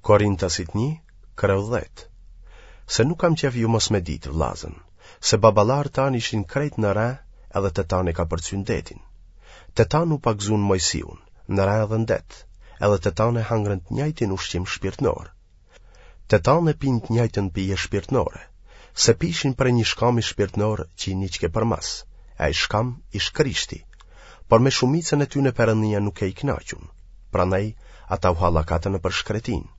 Korintasit 1, kreu 10. Se nuk kam qef ju mos me ditë, vllazën, se baballarët tanë ishin krejt në re edhe të tanë e kapërcyn detin. Të tanë u pagëzun Mojsiun, në re edhe në det, edhe të tanë e hangrën të njajtin ushqim shpirtnor. Të tanë e pinë të njajtën pije shpirtnore, se pishin prej një shkami shpirtnor që i niqke përmas, e ai shkam ish Krishti, por me shumicën e tyne Perëndia nuk ke i knaqun, prandaj ata u hallakatën nëpër shkretinë.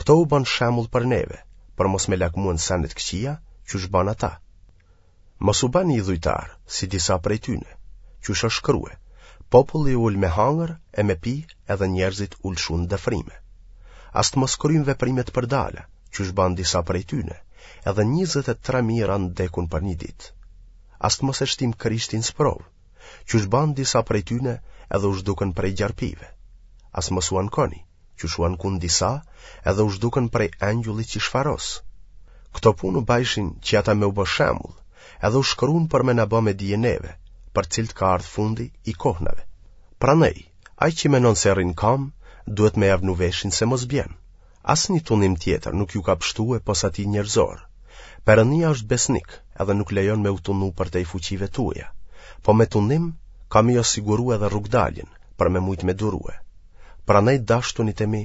Këto u banë shembull për neve, për mos me lakmue në sene të këqija, qysh banë ata. Mos u bani idhujtarë, si disa prej tyne, qysh është shkrue, populli u ul me hangër e me pi edhe njerëzit u lëshun n'dëfrime. As të mos kryjmë veprime të përdala, qysh banë disa prej tyne, edhe 23.000 ranë t'dekun për një ditë. As të mos e shtim Krishtin n'sprovë, qysh banë disa prej tyne edhe u zhdukën prej gjarpijve. As mos u ankoni, qysh u ankun disa, edhe u zhdukën prej engjullit që shfaros. Këto punë u bajshin që ata me u bë shembull, edhe u shkruan për me na bë me dije neve, për cilët ka ardhë fundi i kohnave. Prandaj, ai që menon se rrin n'kamë, duhet me ja vnu veshin se mos bjen. Asnjë tundim tjetër nuk ju ka pshtue pos atij njerëzor. Perëndia është besnik, edhe nuk lejon me u tundu përtej fuqive tuaja. Po me tundim ka me ju siguru edhe rrugëdaljen, për me mujtë me durue. Prandaj dashtunit e mi,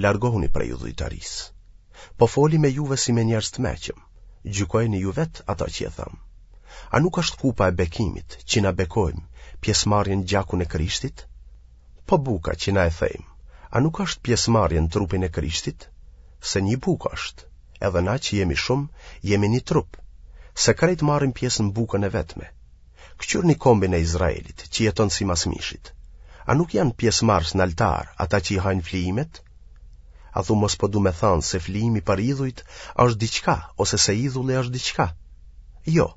largohuni prej idhujtarisë. Po foli me juve si me njerëz të meçëm, gjykojeni ju vetë ata që e tham. A nuk është kupa e bekimit që na bekojmë pjesëmarrje në gjakun e Krishtit? Po buka që na e thejmë, a nuk është pjesëmarrje në trupin e Krishtit? Se një bukë është, edhe na që jemi shumë, jemi një trup, se krejt marrim pjesë në bukën e vetme. Këqyrni kombin e Izraelit, që jeton simas mishit. A nuk janë pjesëmarrës në altar ata që i hajnë flijimet? A thu mos po du me thanë se flijimi për idhujt është diçka, ose se idhulli është diçka? Jo,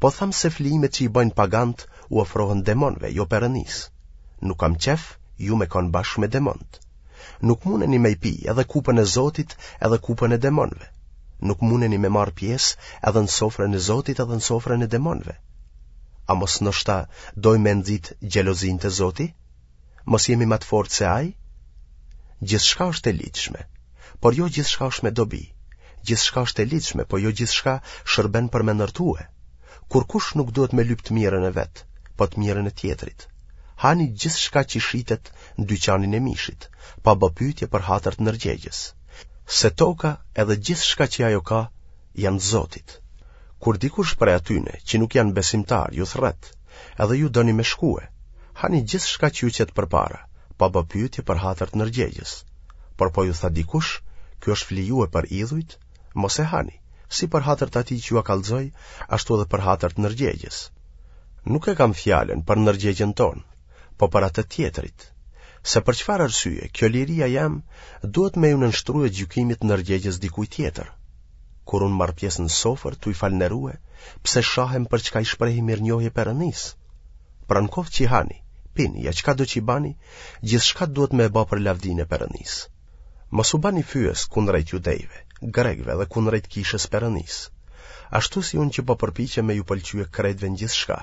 po tham se flijimet që i bëjnë pagant u ofrohen demonëve, jo perënisë. Nuk kam qef ju me konë bashkë me demonët. Nuk mundeni me i pi edhe kupën e Zotit edhe kupën e demonëve. Nuk mundeni me marrë pjesë edhe në sofrën e Zotit edhe në sofrën e demonëve. A mos ndoshta dojmë me nxit xhelozinë te Zoti? Mos jemi ma të fortë se ai? Gjithçka është e ligjshme, por jo gjithçka është me dobi. Gjithçka është e ligjshme, po jo gjithçka shërben për me ndërtue. Kurkush nuk duhet me lyp të mirën e vet, po të mirën e tjetrit. Hani gjithçka që shitet në dyqanin e mishit, pa bë pyetje për hatër të ndërgjegjes. Se toka edhe gjithçka që ajo ka janë të Zotit. Kur dikush prej atyne që nuk janë besimtarë ju thërret, edhe ju doni me shkue, hani gjithçka që ju qet përpara, pa bë pyetje për hatër të ndërgjegjes. Por po ju tha dikush, ky është flijue për idhujt, mos e hani, si për hatër të atij që jua kallxoi, ashtu edhe për hatër të ndërgjegjes. Nuk e kam fjalën për ndërgjegjen tonë, po për atë të tjetrit. Se për çfarë arsye kjo liria jem duhet me iu nënshtrue gjykimit të ndërgjegjes dikujt tjetër. Kur unë marr pjesë në sofër tuj falënderue, pse shahem për çka i shprehi mirënjohje Perëndisë? Pra në koftë që hani, pini, ja çkado që bani, gjithçka duhet me e ba për lavdinë e Perëndisë. Mos u bani fyes kundrejt judejve, grekëve dhe kundrejt kishës Perëndisë. Ashtu si unë që po përpiqem me ju pëlqye krejtve në gjithçka,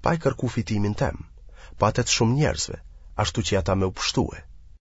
pa e kërku fitimin tem, po atë të shumë njerëzve, ashtu që ata me u pshtue.